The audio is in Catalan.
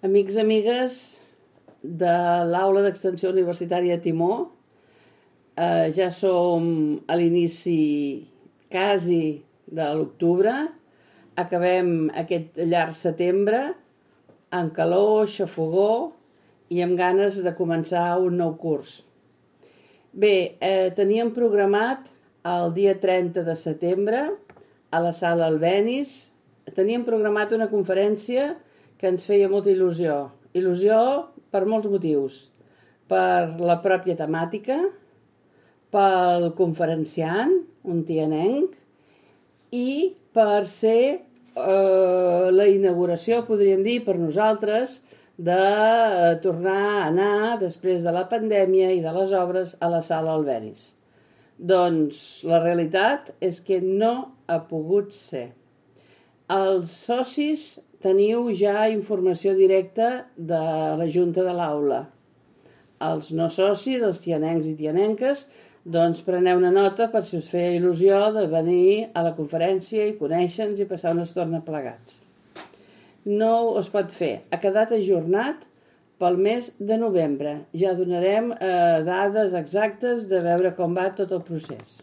Amics, amigues de l'Aula d'Extensió Universitària Timó, ja som a l'inici quasi de l'octubre, acabem aquest llarg setembre amb calor, xafogor i amb ganes de començar un nou curs. Bé, teníem programat el dia 30 de setembre a la sala Albéniz, teníem programat una conferència que ens feia molta il·lusió. Il·lusió per molts motius. Per la pròpia temàtica, pel conferenciant, un tianenc, i per ser la inauguració, podríem dir, per nosaltres, de tornar a anar, després de la pandèmia i de les obres, a la sala Albéniz. Doncs la realitat és que no ha pogut ser. Els socis teniu ja informació directa de la Junta de l'Aula. Els no socis, els tianencs i tianenques, doncs preneu una nota per si us feia il·lusió de venir a la conferència i conèixer-nos i passar una estona plegats. No es pot fer. Ha quedat ajornat pel mes de novembre. Ja donarem dades exactes de veure com va tot el procés.